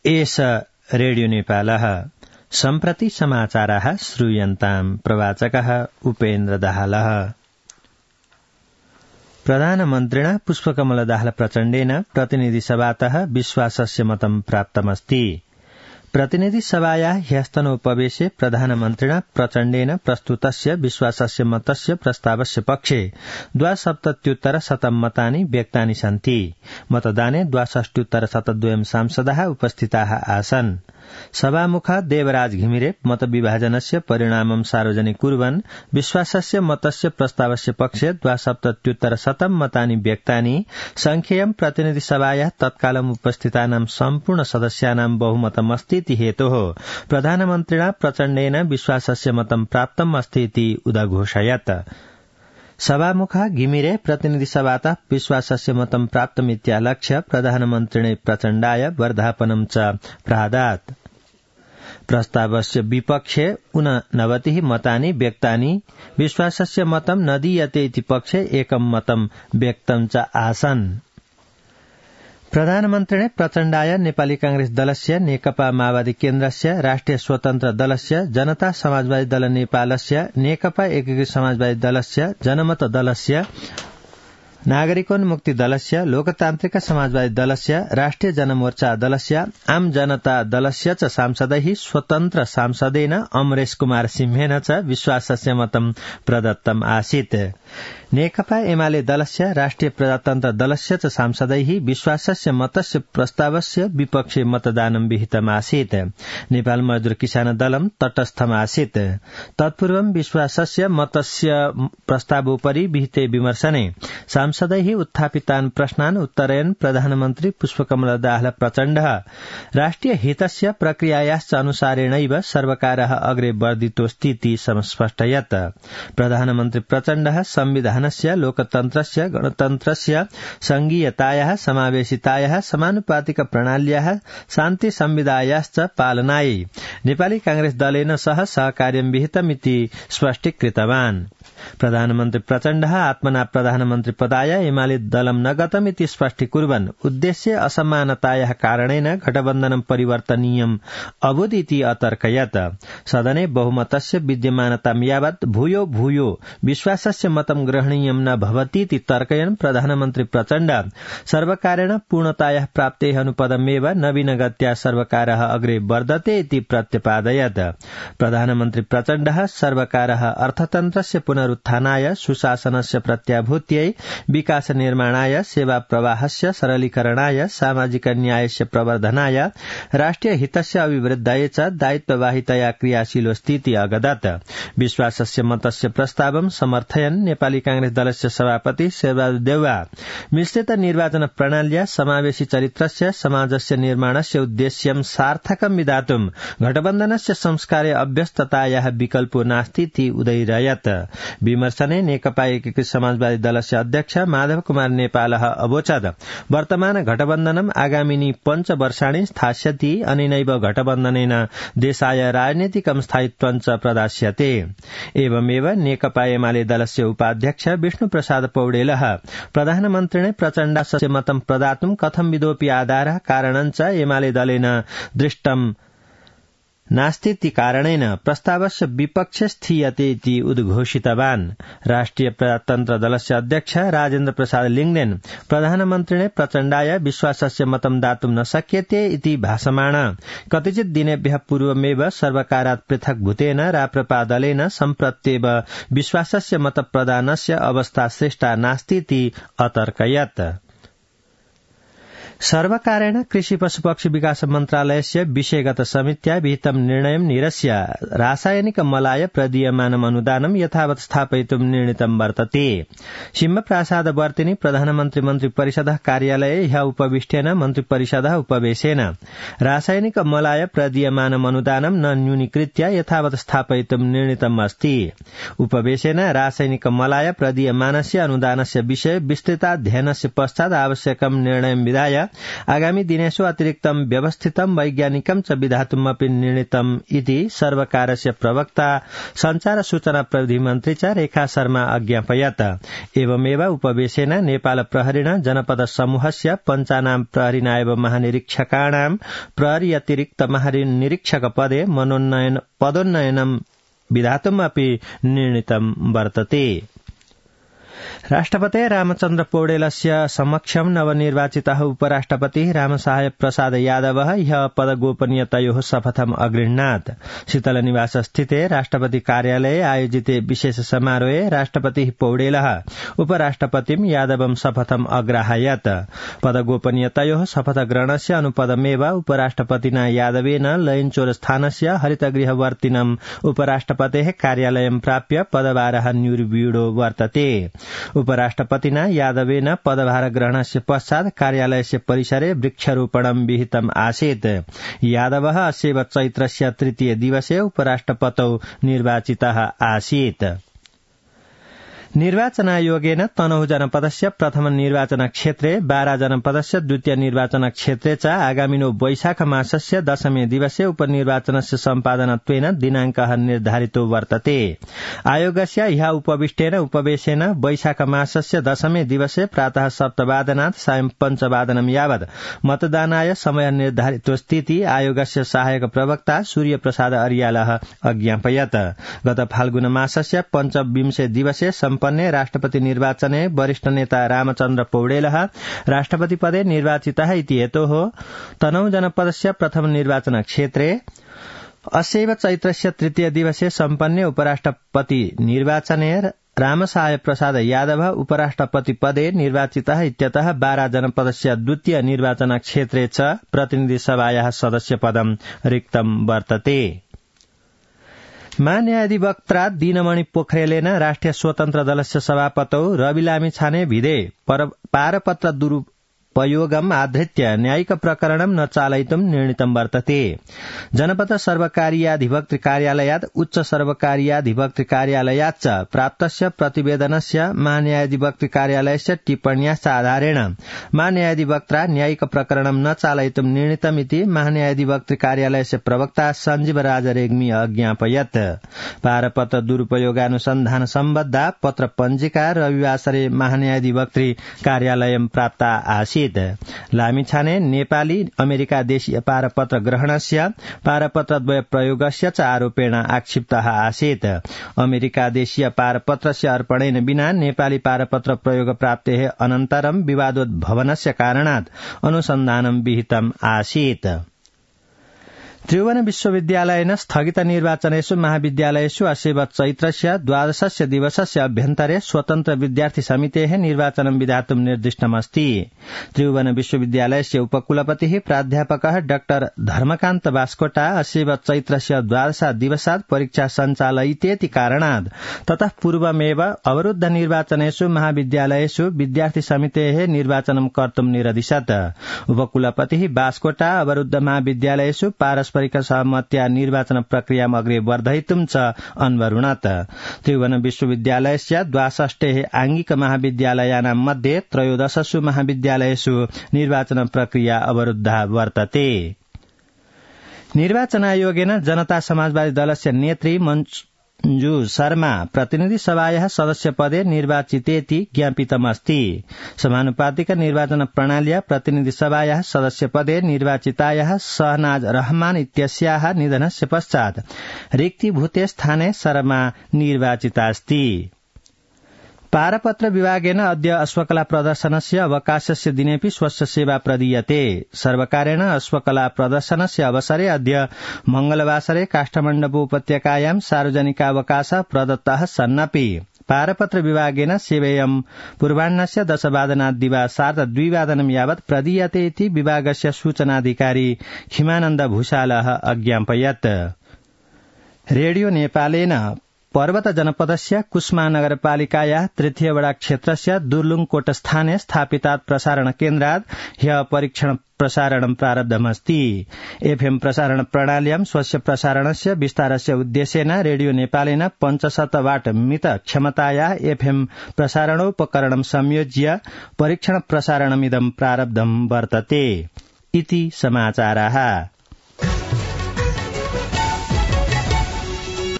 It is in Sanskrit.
एष रेडियो नेपालः सम्प्रति समाचाराः श्रूयन्ताम् प्रवाचकः उपेन्द्र दाहालः। प्रधानमन्त्रिणा पुष्पकमल दाहाल प्रचण्डेन प्रतिनिधिसभातः विश्वासस्य मतं प्राप्तमस्ति। प्रतिनिधिसभायाः ह्यस्तनोपवेशे प्रधानमन्त्रिणा प्रचण्डेन प्रस्तुतस्य विश्वासस्य मतस्य प्रस्तावस्य पक्षे 62% मतानि व्यक्तानि सन्ति। मतदाने 62% सांसदाः उपस्थिताः आसन्। सभामुखः देवराज घिमिरे मतविभाजनस्य परिणामं सार्वजनिक कुर्वन् विश्वासस्य मतस्य प्रस्तावस्य पक्षे 62% मतानि व्यक्तानि संख्येयं प्रतिनिधिसभायाः तत्कालम् उपस्थितानां सम्पूर्ण सदस्यानां बहुमतमस्तीति हेतोः प्रधानमन्त्रिणा प्रचण्डेन विश्वासस्य मतं प्राप्तम् अस्ति इति उदघोषयत्। सभामुखः घिमिरे प्रतिनिधिसभातः विश्वासस्य मतं प्राप्तमित्यालक्ष्य प्रधानमन्त्रिणे प्रचण्डाय वर्धापनं च प्रादात्। प्रस्तावस्य विपक्षे 89 मतानि व्यक्तानि विश्वासस्य मतं न दीयते इति पक्षे एकं मतं व्यक्तं च आसन्। प्रधानमन्त्रिणे प्रचण्डाय नेपाली कांग्रेस दलस्य, नेकपा माओवादी केन्द्रस्य, राष्ट्रिय स्वतन्त्र दलस्य, जनता समाजवादी दल नेपालस्य, नेकपा एकीकृत समाजवादी दलस्य, जनमत दलस्य, नागरिकोन्मुक्ति दलस्य, लोकतान्त्रिक समाजवादी दलस्य, राष्ट्रिय जनमोर्चा दलस्य, आम जनता दलस्य च सांसदैः स्वतन्त्र सांसदेन अमरेश कुमार सिंहेन च विश्वासस्य मतं प्रदत्तम् आसीत्। नेकपा एमाले दलस्य, राष्ट्रिय प्रजातन्त्र दलस्य च सांसदैः विश्वासस्य मतस्य प्रस्तावस्य विपक्षे मतदानं विहितमासीत्। नेपाल मजदूर किसान दलम् तटस्थमासीत्। तत्पूर्वं विश्वासस्य मतस्य प्रस्तावोपरि विहिते विमर्शने सांसदैः उत्थापितान् प्रश्नान् उत्तरयन् प्रधानमन्त्री पुष्पकमल दाहाल प्रचण्डः राष्ट्रिय हितस्य प्रक्रियायाश्च अनुसारेणैव सर्वकारः अग्रे वर्धितोऽस्तीति समस्पष्टयत्। प्रधानमन्त्री प्रचण्डः संविधानस्य, लोकतन्त्रस्य, गणतन्त्रस्य, संघीयतायाः, समावेशितायाः, समानुपातिक प्रणाल्याः, शान्ति संविधायाश्च पालनायै नेपाली कांग्रेस दलेन सह सहकार्यं विहितमिति स्पष्टीकृतवान्। प्रधानमन्त्री प्रचण्डः आत्मना प्रधानमन्त्री पदाय एमाले दलं न गतमिति स्पष्टीकुर्वन् उद्देश्य असमानतायाः कारणेन गठबन्धनं परिवर्तनीयम् अभूत् इति अतर्कयत्। सदने बहुमतस्य विद्यमानतां यावत् भूयो भूयो विश्वासस्य मतं ग्रहणीयं न भवतीति तर्कयन् प्रधानमन्त्री प्रचण्ड सर्वकारेण पूर्णतायाः प्राप्तेः अनुपदमेव नवीनगत्या सर्वकारः अग्रे वर्धते इति प्रत्यपादयत्। प्रधानमन्त्री प्रचण्डः सर्वकारः अर्थतन्त्रस्य पुनरुत्थानाय, सुशासनस्य प्रत्याभूत्यै, विकास निर्माणाय, सेवा प्रवाहस्य सरलीकरणाय, सामाजिक न्यायस्य प्रवर्धनाय, राष्ट्रिय हितस्य अभिवृद्धाय च दायित्ववाहितया क्रियाशीलोऽस्तीति अगदत्। विश्वासस्य मतस्य प्रस्तावं समर्थयन् नेपाली कांग्रेस दलस्य सभापति शेरबहादुर देउवा मिश्रित निर्वाचन प्रणाल्या समावेशी चरित्रस्य समाजस्य निर्माणस्य उद्देश्यं सार्थकं विधातुं गठबन्धनस्य संस्कारे अभ्यस्ततायाः विकल्पो नास्तीति उदयिरयत्। विमर्शने नेकपा एकीकृत समाजवादी दलस्य अध्यक्ष माधव कुमार नेपालः अवोचत् वर्तमान गठबन्धनम् आगामिनी 5 वर्षाणि स्थास्यति, अनेनैव गठबन्धनेन देशाय राजनीतिकं स्थायित्वं च प्रदास्यते। एवमेव नेकपा एमाले दलस्य उपाध्यक्ष विष्णुप्रसाद पौडेलः प्रधानमन्त्रिणे प्रचण्डस्य मतं प्रदातुं कथंविधोऽपि आधारः कारणं च एमाले दलेन दृष्टं नास्तीति कारणेन प्रस्तावस्य विपक्षे स्थीयते इति उद्घोषितवान्। राष्ट्रिय प्रजातन्त्र दलस्य अध्यक्ष राजेन्द्र प्रसाद लिङ्गदेन प्रधानमन्त्रिणे प्रचण्डाय विश्वासस्य मतं दातुं न शक्यते इति भाषमाण कतिचित दिनेभ्यः पूर्वमेव सर्वकारात् पृथक्भूतेन राप्रपा दलेन सम्प्रत्येव विश्वासस्य मतप्रदानस्य अवस्था सृष्टा नास्तीति अतर्कयत्। सर्वकारेण कृषि पशुपक्षी विकास मन्त्रालयस्य विषयगत समित्या विहितं निर्णयं निरस्य रासायनिक मलाय प्रदीयमानम् अनुदानं यथावत् स्थापयितुं निर्णीतं वर्तते। सिंहप्रासाद वर्तिनि प्रधानमन्त्री मन्त्री परिषदः कार्यालये ह्यः उपविष्टेन मन्त्री परिषदः उपवेशेन रासायनिक मलाय प्रदीयमानम् अनुदानं न न्यूनीकृत्य यथावत् स्थापयितुं निर्णीतम् अस्ति। उपवेशेन रासायनिक मलाय प्रदीयमानस्य अनुदानस्य विषये विस्तृताध्ययनस्य पश्चात् आवश्यकं निर्णयं विधाय आगामी दिनेषु अतिरिक्तं व्यवस्थितं वैज्ञानिकं च विधातुमपि निर्णीतम् इति सर्वकारस्य प्रवक्ता संचार सूचना प्रविधि मन्त्री च रेखा शर्मा अज्ञापयत्। एवमेव उपवेशेन नेपाल प्रहरिण जनपद समूहस्य पञ्चानां प्रहरिनायब महानिरीक्षकाणां प्रहरी अतिरिक्त महानिरीक्षक पदे पदोन्नयनं विधातुमपि निर्णीतं वर्तते। राष्ट्रपति रामचन्द्र पौडेलस्य समक्षं नवनिर्वाचितः उपराष्ट्रपति रामसहाय प्रसाद यादवः ह्यः पदगोपनीयतयोः शपथम् अगृह्णात्। शीतलनिवास स्थिते राष्ट्रपति कार्यालये आयोजिते विशेष समारोहे राष्ट्रपतिः पौडेलः उपराष्ट्रपतिं यादवं शपथम् अग्राहयत्। पदगोपनीयतयोः शपथग्रहणस्य अनुपदमेव उपराष्ट्रपतिना यादवेन लयनचौरस्थानस्य हरितगृहवर्तिनम् उपराष्ट्रपतेः कार्यालयं प्राप्य पदभारः न्यूर्व्यूढो वर्तते। उपराष्ट्रपतिना यादवेन पदभार ग्रहणस्य पश्चात् कार्यालयस्य परिसरे वृक्षारोपणं विहितम् आसीत्। यादवः अस्यैव चैत्रस्य तृतीय दिवसे उपराष्ट्रपतौ निर्वाचितः आसीत्। निर्वाचनायोगेन तनहुँ जनपदस्य प्रथम निर्वाचन क्षेत्रे बारा जनपदस्य द्वितीय निर्वाचन क्षेत्रे च आगामिनो वैशाख मासस्य दशमे दिवसे उपनिर्वाचनस्य सम्पादनत्वेन दिनाङ्कः निर्धारितो वर्तते। आयोगस्य ह्यः उपविष्टेन उपवेशेन वैशाख मासस्य दशमे दिवसे प्रातः 7:00 सायं 5:00 यावत् मतदानाय समय निर्धारितोस्तीति आयोगस्य सहायक प्रवक्ता सूर्यप्रसाद अर्यालः अज्ञापयत्। गत फाल्गुन मासस्य 25 दिवसे सम्पन्ने राष्ट्रपति निर्वाचने वरिष्ठ नेता रामचन्द्र पौडेलः राष्ट्रपति पदे निर्वाचितः इति हेतोः तनहुँ जनपदस्य प्रथम निर्वाचन क्षेत्रे अस्यैव चैत्रस्य तृतीय दिवसे सम्पन्ने उपराष्ट्रपति निर्वाचने रामसहाय प्रसाद यादव उपराष्ट्रपति पदे निर्वाचितः इत्यतः बारा जनपदस्य द्वितीय निर्वाचन क्षेत्रे च प्रतिनिधि सभायाः सदस्य पदं रिक्तं वर्तते। महान्यायाधिवक्ता दीनमणि पोखरेलेन राष्ट्रिय स्वतन्त्र दलस्य सभापतौ रवि लामिछाने भिदे पारपत्र दुरुपयोगम् आधृत्य न्यायिक प्रकरणं न चालयितुं निर्णीतं वर्तते। जनपद सर्वकारीयाधिवक्तृ कार्यालयात् उच्च सर्वकारीयाधिवक्तृ कार्यालयाच्च प्राप्तस्य प्रतिवेदनस्य महान्यायाधिवक्तृ कार्यालयस्य टिप्पण्याश्च आधारेण महान्यायाधिवक्ता न्यायिक प्रकरणं न चालयितुं निर्णीतमिति महान्यायाधिवक्तृ कार्यालयस्य प्रवक्ता सञ्जीव राज रेग्मी अज्ञापयत्। पारपत्र दुरुपयोगानुसन्धान सम्बद्धा पत्र पञ्जिका रविवासरे महान्यायाधिवक्तृ कार्यालयं प्राप्ता आसीत्। लामिछाने नेपाली अमेरिका देशीय पारपत्र ग्रहणस्य पारपत्रद्वय प्रयोगस्य च आरोपेण आक्षिप्तः आसीत्। अमेरिका देशीय पारपत्रस्य अर्पणेन विना नेपाली पारपत्र प्रयोग प्राप्तेः अनन्तरं विवादोद्भवनस्य कारणात् अनुसन्धानं विहितम् आसीत्। त्रिभुवन विश्वविद्यालयेन स्थगित निर्वाचनेषु महाविद्यालयेषु अस्यैव चैत्रस्य 12 दिवसस्य अभ्यन्तरे स्वतन्त्र विद्यार्थी समितेः निर्वाचनं विधातुं निर्दिष्टमस्ति। त्रिभुवन विश्वविद्यालयस्य उपकुलपतिः प्राध्यापकः डाक्टर धर्मकान्त बास्कोटा अस्यैव चैत्रस्य 12 दिवसात् परीक्षा सञ्चालयितेति कारणात् ततः पूर्वमेव अवरुद्ध निर्वाचनेषु महाविद्यालयेषु विद्यार्थी समितेः निर्वाचनं कर्तुं निरदिशत्। उपकुलपतिः बास्कोटा अवरुद्ध महाविद्यालयेषु पारस्परिक सहमत्या निर्वाचन प्रक्रियाम् अग्रे वर्धयितुं च अन्वरुणत्। त्रिभुवन विश्वविद्यालयस्य 62 आंगिक महाविद्यालयानां मध्ये 13 महाविद्यालयेषु निर्वाचन प्रक्रिया अवरुद्धा वर्तते। निर्वाचन आयोगेन जनता समाजवादी दलस्य नेत्री मञ्जु शर्मा प्रतिनिधि सभायाः सदस्य पदे निर्वाचितेति ज्ञापितमस्ति। समानुपातिक निर्वाचन प्रणाल्या प्रतिनिधि सभायाः सदस्य पदे निर्वाचितायाः शहनाज रहमान इत्यस्याः निधनस्य पश्चात् रिक्तीभूते स्थाने शर्मा निर्वाचितास्ति। पारपत्र विभागेन अद्य अश्वकला प्रदर्शनस्य अवकाशस्य दिनेपि स्वस्य सेवा प्रदीयते। सर्वकारेण अश्वकला प्रदर्शनस्य अवसरे अद्य मंगलवासरे काष्ठमण्डप उपत्यकायां सार्वजनिकावकाशः प्रदत्तः सन्नपि पारपत्र विभागेन सेवेयं पूर्वाह्नस्य 10:00 दिवा 2:30 यावत् प्रदीयते इति विभागस्य सूचनाधिकारी खिमानन्द भूषालः अज्ञापयत्। रेडियो नेपालेन पर्वत जनपदस्य कुस्मा नगरपालिकाया तृतीय वडा क्षेत्रस्य दुर्लुङकोटस्थाने स्थापितात् प्रसारण केन्द्रात् ह्य परीक्षण प्रसारणं प्रारब्धमस्ति। एफएम प्रसारण प्रणाल्यां स्वस्य प्रसारणस्य विस्तारस्य उद्देश्येन रेडियो नेपालेन 500 वाट मित क्षमताया एफएम प्रसारणोपकरणं संयोज्य परीक्षण प्रसारणमिदं प्रारब्धं वर्तते। इति समाचाराः।